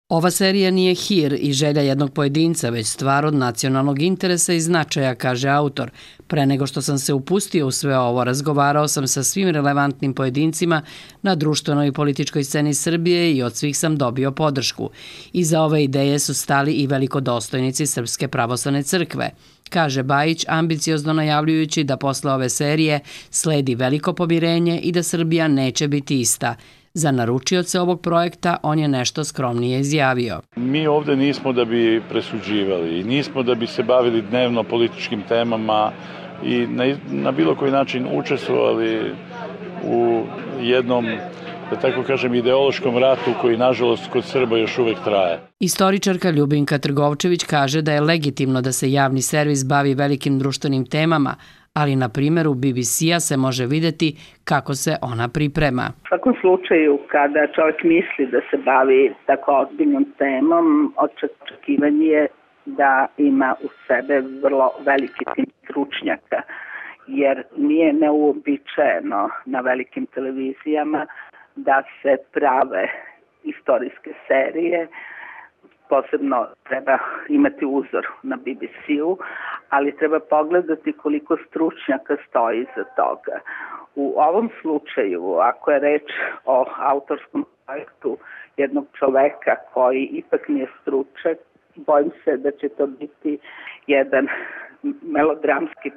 Ova serija nije hir i želja jednog pojedinca, već stvar od nacionalnog interesa i značaja, kaže autor. Pre nego što sam se upustio u sve ovo, razgovarao sam sa svim relevantnim pojedincima na društvenoj i političkoj sceni Srbije i od svih sam dobio podršku. Iza ove ideje su stali i velikodostojnici Srpske pravoslavne crkve, kaže Bajić, ambiciozno najavljujući da posle ove serije sledi veliko pomirenje i da Srbija neće biti ista. Za naručioce ovog projekta on je nešto skromnije izjavio. Mi ovde nismo da bi presuđivali i nismo da bi se bavili dnevno političkim temama i na bilo koji način učestvovali u jednom, da tako kažem, ideološkom ratu koji, nažalost, kod Srba još uvek traje. Istoričarka Ljubinka Trgovčević kaže da je legitimno da se javni servis bavi velikim društvenim temama, ali na primjeru BBC-a se može vidjeti kako se ona priprema. U svakom slučaju, kada čovjek misli da se bavi tako ozbiljnom temom, očekivanje je da ima u sebe vrlo veliki tim stručnjaka, jer nije neuobičajeno na velikim televizijama da se prave istorijske serije. Posebno treba imati uzor na BBC-u, ali treba pogledati koliko stručnjaka stoji iza toga. U ovom slučaju, ako je reč o autorskom projektu jednog čoveka koji ipak nije stručnjak, bojim se da će to biti jedan melodramski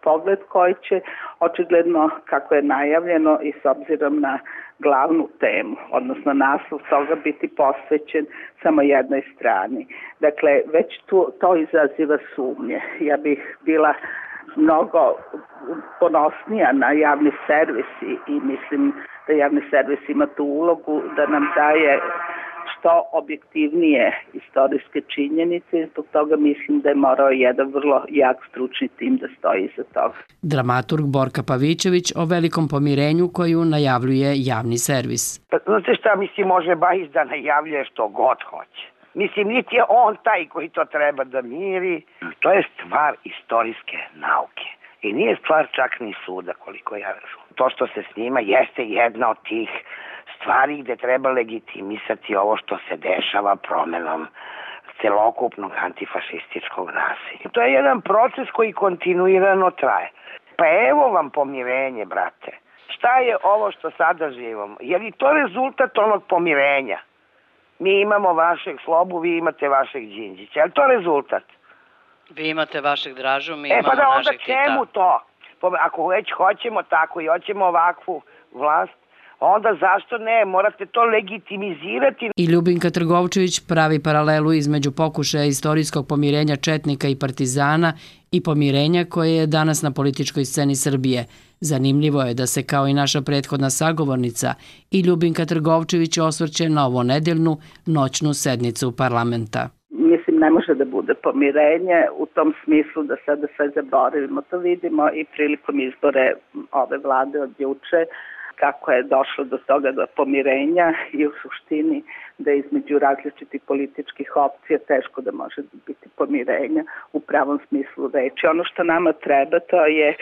pogled koji će očigledno, kako je najavljeno i s obzirom na glavnu temu, odnosno naslov toga, biti posvećen samo jednoj strani. Dakle, već to izaziva sumnje. Ja bih bila mnogo ponosnija na javni servis i mislim da javni servis ima tu ulogu da nam daje što objektivnije istorijske činjenice i zbog toga mislim da je morao jedan vrlo jak stručni tim da stoji iza toga. Dramaturg Borka Pavićević o velikom pomirenju koju najavljuje javni servis. Pa znate šta, mislim, može Bajić da najavljuje što god hoće. Mislim, niti je on taj koji to treba da miri. To je stvar istorijske nauke. I nije stvar čak ni suda, koliko ja razumem. To što se snima jeste jedna od tih stvari gde treba legitimisati ovo što se dešava promenom celokupnog antifašističkog nasilja. To je jedan proces koji kontinuirano traje. Pa evo vam pomirenje, brate. Šta je ovo što sada živimo? Je li to rezultat onog pomirenja? Mi imamo vašeg Slobu, vi imate vašeg Đinđića. Je li to rezultat? Vi imate vašeg Dražu, mi imamo pa da onda našeg Tita. čemu to? Ako već hoćemo tako i hoćemo ovakvu vlast, onda zašto ne? Morate to legitimizirati. I Ljubinka Trgovčević pravi paralelu između pokušaja istorijskog pomirenja četnika i partizana i pomirenja koje je danas na političkoj sceni Srbije. Zanimljivo je da se, kao i naša prethodna sagovornica, i Ljubinka Trgovčević osvrće na ovonedeljnu noćnu sednicu parlamenta. Mislim, ne može da bude pomirenje u tom smislu da sada sve zaboravimo. To vidimo i prilikom izbore ove vlade od juče, kako je došlo do toga do pomirenja i u suštini da između različitih političkih opcija teško da može biti pomirenja u pravom smislu reči. Ono što nama treba, to je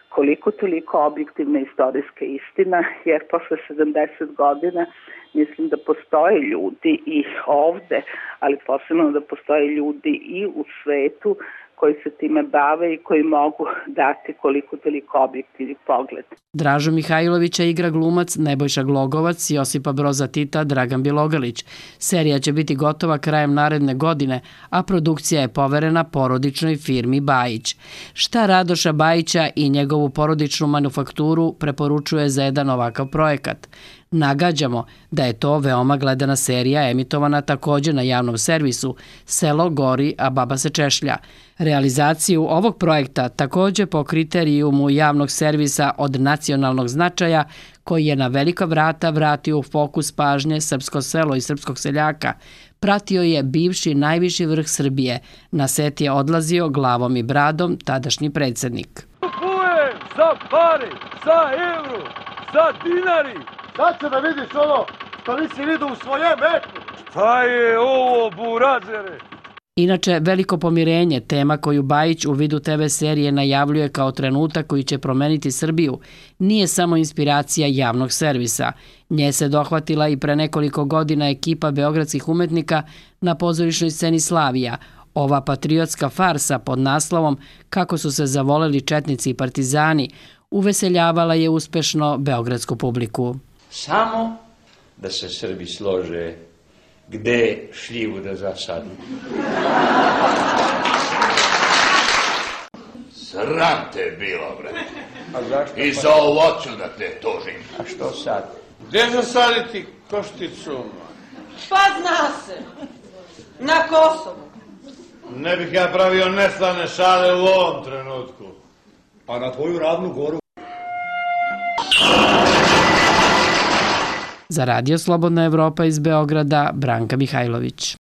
koliko toliko objektivna istorijska istina, jer posle 70 godina mislim da postoje ljudi i ovde, ali posebno da postoje ljudi i u svetu koji se time bave i koji mogu dati koliko toliko objektivni pogled. Dražu Mihajlovića igra glumac Nebojša Glogovac, Josipa Broza Tita Dragan Bjelogrlić. Serija će biti gotova krajem naredne godine, a produkcija je poverena porodičnoj firmi Bajić. Šta Radoša Bajića i njegovu porodičnu manufakturu preporučuje za jedan ovakav projekat? Nagađamo da je to veoma gledana serija emitovana također na javnom servisu Selo gori, a baba se češlja. Realizaciju ovog projekta također po kriterijumu javnog servisa od nacionalnog značaja, koji je na velika vrata vratio u fokus pažnje srpsko selo i srpskog seljaka, pratio je bivši najviši vrh Srbije. Na set je odlazio glavom i bradom tadašnji predsjednik. Kupujem za pare, za euro, za dinari. Sad će da vidiš ono što nisi vidio u svojem veku. Šta je ovo, burazere? Inače, Veliko pomirenje, tema koju Bajić u vidu TV serije najavljuje kao trenutak koji će promeniti Srbiju, nije samo inspiracija javnog servisa. Nje se dohvatila i pre nekoliko godina ekipa beogradskih umetnika na pozorišnoj sceni Slavija. Ova patriotska farsa pod naslovom Kako su se zavoleli četnici i partizani uveseljavala je uspešno beogradsku publiku. Samo da se Srbi slože gde šljivu da zasadu. Sram te bilo, bre. A zašto? I za ovo ću da te tužim. A što sad? Gde zasaditi košticu? Pa zna se. Na Kosovu. Ne bih ja pravio neslane šale u ovom trenutku. Pa na tvoju Ravnu Goru. Za Radio Slobodna Evropa iz Beograda, Branka Mihajlović.